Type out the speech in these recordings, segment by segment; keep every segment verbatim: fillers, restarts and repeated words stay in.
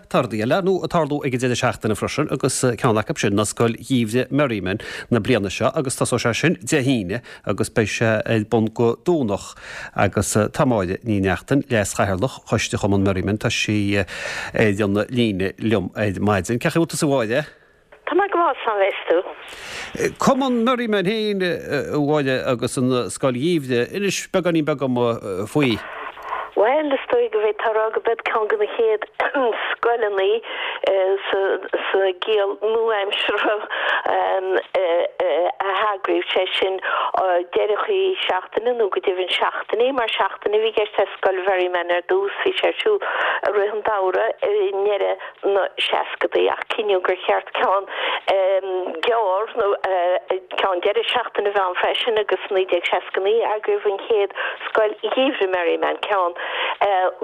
Tá rudaí eile nó ag tarlú ag an deireadh seachtaine freisin agus ceann acu sin ná Scoil Gheimhridh Merriman na bliana seo agus tosóidh sé sin Dé hAoine agus beidh sé ar bun go Domhnach agus tá Máire Ní Neachtain, Leas-Chathaoirleach Choiste Chumann Merriman, tá sí ar an líne liom ar maidin. Cén chaoi a bhfuil tusa a Mháire? Tá mé go maith, slán tú. Cumann Merriman féin a Mháire agus an Scoil Gheimhridh, inis beagáinín beag dom faoi. Well, is dóigh go bhféadfá a rá gurb iad ceann de na chéad scoileanna sa gciall nua-aimseartha a heagraíodh, sé sin deireadh seachtaine nó go deimhin seachtainí, mar seachtain a bhí i gceist le Scoil Mherriman ar dtús, bhí sé ar siúl i rith an tsamhraidh i ndeireadh na seascadaí ach cinneadh gur cheart ceann gearr nó ceann deireadh seachtaine a bheith ann freisin agus naoi déag seasca naoi eagraíodh an chéad Scoil Gheimhridh Merriman, ceann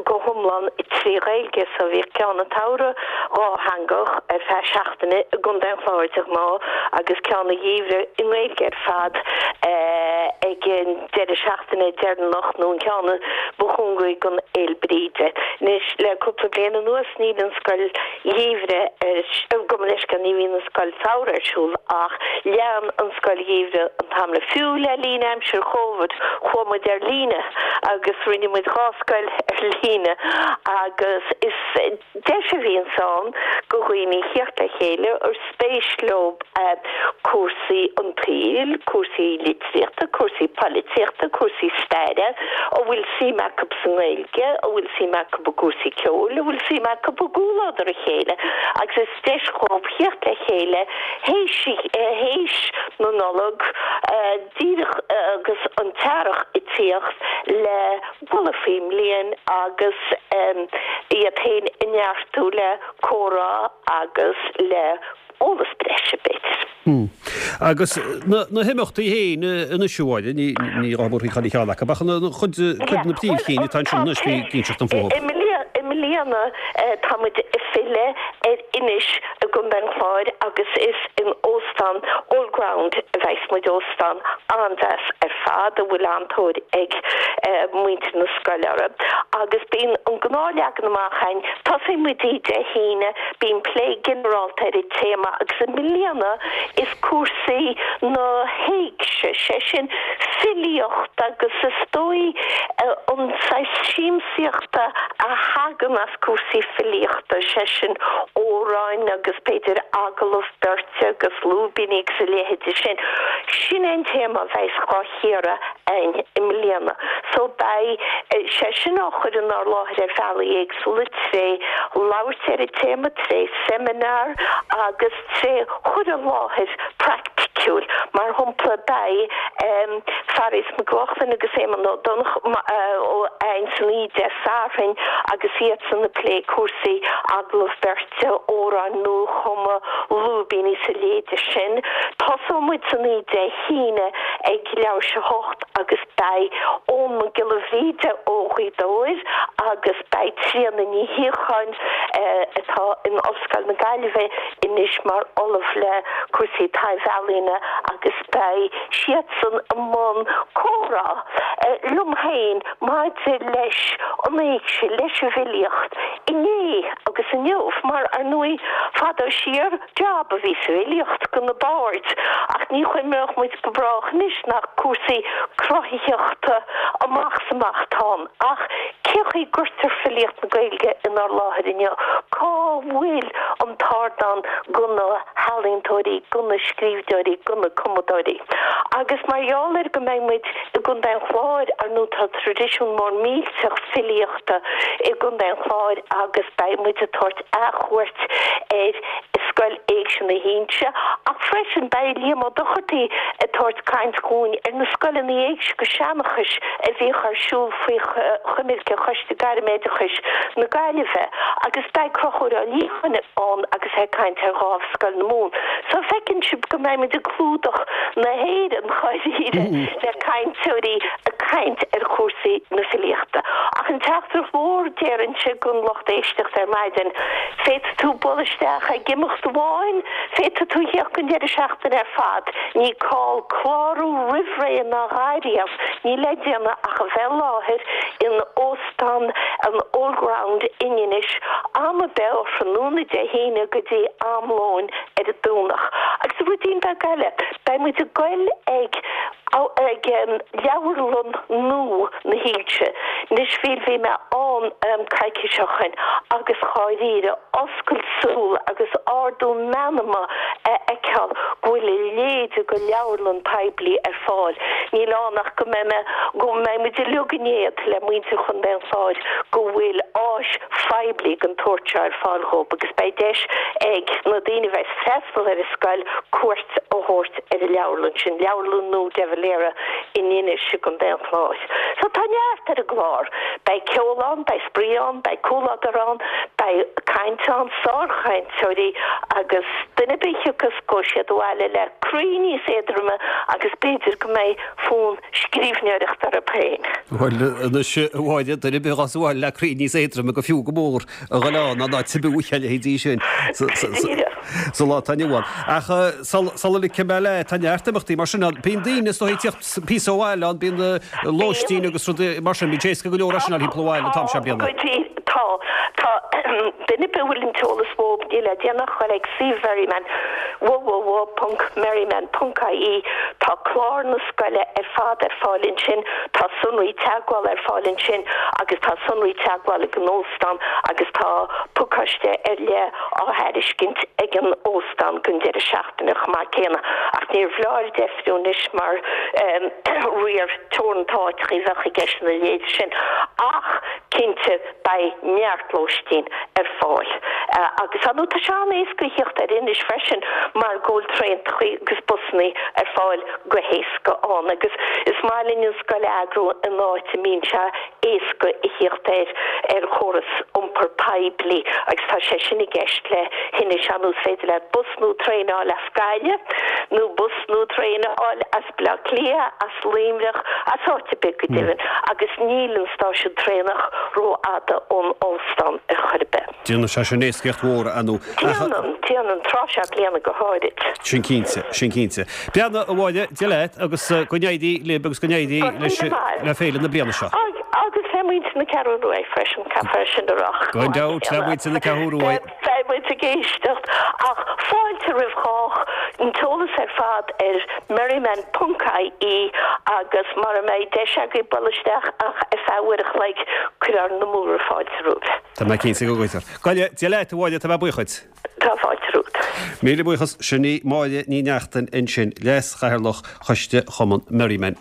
go hiomlán trí Ghaeilge. So bhíodh ceann an tsamhraidh dhátheangach ar feadh seachtaine i gContae an Chláir de ghnáth agus ceann an gheimhridh i nGaeilge ar fad ag an deireadh seachtaine deireanach nó an ceann ba chúngaraí don Fhéile Bríde. Anois le cúpla bliain anuas níl an scoil gheimhridh ar gabh mo leithscéal ní bhíonn an scoil samhraidh ar siúl ach lean an scoil gheimhridh an t-am le fiú le linn aimsir Chóvid chuaigh muid ar líne agus rinne muid dhá scoil ar líne agus is deis a bhíonn ann do dhaoine theacht le chéile ar spéis leo cúrsaí an tsaoil, cúrsaí litríochta, cúrsaí polaitíochta, cúrsaí staire, a bhfuil suim acu sa nGaeilge, a bhfuil suim acu i gcúrsaí ceoil, a bhfuil suim acu i gcomhluadar a chéile agus is deis dhóibh theacht le chéile théis théis na Nollag díreach agus an t-earrach ag tíocht le bualadh faoin mbliain agus iad féin a neartú le comhrá agus le eolas breise b'fhéidir. Hmm. Agus na na himeachtaí féin anois a Mháire, ní ní gá tabhairt chuile cheann acu ach na cuid cuid na príomhchinn atá ansin anois bí ag inseacht dom fúthu. I mbliana tá muid ag filleadh ar Inis i gContae an Chláir agus is in Óstán Old Ground a bheas muid, óstán an-deas ar fad a bhfuil an-tóir ag muintir na scoile orthu. Agus bíonn an gnáthleagan amach againn, tosaíonn muid oíche Dé hAoine, bíonn plé ginearálta ar an téama agus i mbliana is cúrsaí na héigse, sé sin filíocht agus is dóigh an saghas siamsaíochta a thagann as cúrsaí filíochta, sé sin amhráin agus b'fhéidir agallamh beirte agus lúibíní agus a leithéide sin. Sin é an téama a bheas á chíoradh againn i mbliana. So beidh sé sin á chur inár láthair ar bhealaí éagsúla tré labhairt ar an téama, tré seimineár agus tré chur i láthair praiticiúil. Mar shampla beidh Fearghas Mac Lochlainn agus Éamonn Ó Donnchadha againn san oíche Dé Sathairn agus iadsan ag plé cúrsaí agallamh beirte, amhráin nuachumtha, lúibíní is a leithéide sin. Tosóidh muid san oíche Dé hAoine ag leathuair tar éis a hocht agus beidh Eoin Mac Giolla Bhríde ó Ghaoth Dobhair agus beidh Tríona Ní Shíocháin atá in Ollscoil na Gaillimhe anois mar ollamh le cúrsaí taibh-ealaíne agus beidh siadsan i mbun comhrá liom féin maidir leis an éigse, leis an bhfilíocht inné agus inniu mar ar ndóigh fadó siar jab a bhí sa bhfilíocht do na baird ach ní chuimhneodh muid go brách anois nach cúrsaí cruthaitheachta amach is amach atá ann. Ach cé chaoi gcuirtear filíocht na Gaeilge inár láthair inniu? Cá bhfuil an t-ardán do na healaíontóirí, do na scríbhneoirí, do na cumadóirí? Agus mar gheall ar go mbeidh muid i gContae an Chláir, ar ndóigh tá traidisiún mór millteach filíochta i gContae an Chláir agus beidh muid ag tabhairt athchuairt ar Scoil Éigse na hInse ach freisin beidh Liam Ó Dochartaigh ag tabhairt caint dhúinn ar na scoileanna éigse agus seanchais a bhíodh ar siúl faoi choimirce Choiste Gairmoideachais na Gaillimhe agus beidh Conchúr Ó Liacháin ann agus é ag caint ar Dhámh Scoil na Mumhan. So feiceann sibh go mbeidh muid ag clúdach na hÉireann dháiríre le cainteoirí ag caint ar chúrsaí na filíochta. Ach an teachtaireacht mhór déarfainnse don lucht éisteachta ar maidin, féadfaidh tú bualadh isteach ag imeacht post amháin, féadfaidh tú theacht don deireadh seachtaine ar fad. Ní call clárú roimh ré ná a dhath riamh, níl le déanamh ach a bheith i láthair in Óstán an Old Ground in Inis am ar bith ó thráthnóna Dé hAoine go dtí am lóin ar an Domhnach. Agus ruidín beag eile, beidh muid ag goil ag ag leabharlann nua na hInse. Anois bhí bhí mé ann coicís ó shin agus dháiríre oscailt súl agus ardú meanma a fheiceáil go bhfuil a leithéid de leabharlann poiblí ar fáil. Níl ann ach go mbeidh mé go mbeidh muid uilig in éad le muintir Chontae an Chláir go bhfuil áis phoiblí den tsórt seo ar fáil dhóibh agus beidh deis ag na daoine a bheas ag freastal ar an scoil cuairt a thabhairt ar an leabharlann sin, Leabharlann nua de Valera in Inis i gContae an Chláir. So tá neart ar an gclár. Beidh ceol ann, beidh spraoi ann, beidh comhluadar ann, beidh caint ann, sárchainteoirí agus duine ar bith a thiocfas gabhfaidh siad abhaile le croí níos éadroime agus b'fhéidir go mbeidh fonn scríbhneoireachta orthu féin. Bhuel, anois, a Mháire, duine ar bith a ghabhfas abhaile le croí níos éadroime gur fiú go mór a dhul ann ná ná tibú a leithéidí sin sa lá atá inniu ann. Ach sula ligfidh mé leat, tá neart imeachtaí mar sin ann. Bíonn daoine is dóigh ag tíocht píosa ó bhaile ann, bíonn lóistín agus rudaí mar sin, bíonn sé éasca go leor é sin a fháil thimpeall an bhaile an t-am seo bliana. Tá, tá. Duine ar bith a bhfuil an t-eolas uathu, níl le déanamh ach dul ag suíomh Mherriman, www ponc merriman ponc ie, tá clár na scoile ar fad ar fáil ansin, tá sonraí teagmhála ar fáil ansin agus tá sonraí teagmhála ag an óstán agus tá pacáiste ar leith á thairiscint ag an óstán don deireadh seachtaine chomh maith céanna. Ach níorbh leor deifriú anois mar riar teoranta áiteacha a bheadh i gceist ina leithéid sin ach cinnte beidh neart lóistín ar fáil. Agus ar ndóigh tá sé an-éasca a theacht ar Inis freisin mar go bhfuil traentachaí agus busannaí ar fáil go héasca ann agus is maith linn an scoil a eagrú in áit a mbíonn sé éasca a theacht ar ar chóras iompair poiblí agus tá sé sin i gceist le hInis ar ndóigh is féidir leat bus nó traein a fháil as Gaillimh nó bus nó traein a fháil as Baile Átha Cliath, as Luimneach, as áit ar bith go deimhin agus níl an stáisiún traenach rófhada ón óstán ar chor ar bith. Déanann sé sin éascaíocht mhór, ar ndóigh. Déanann, déanann, tráth seo bliana go háirid. Sin cinnte, sin cinnte. Beannacht, a Mháire, Dé leat agus go n-éirí libh agus go n-éirí leis le féile na bliana seo. Agus le muintir na Ceathrún Rua freisin, caithfear sin a rá. Gan dabht, le muintir na Ceathrún Rua. Beidh muid ag éisteacht ach fáilte roimh chách, an t-eolas ar fad ar merriman ponc ie agus mara mbeidh deis agaibh bualadh isteach ach ar feadh uair a chloig, cuirfear na múra fáilte romhaibh. Tá mé cinnte go gcuirfear. Go Dia leat, a Mháire, tá mé buíoch duit. Tá fáilte romhat. Míle buíochas, sin í Máire Ní Neachtain ansin, Leas-Chathaoirleach Choiste Chumann Merriman.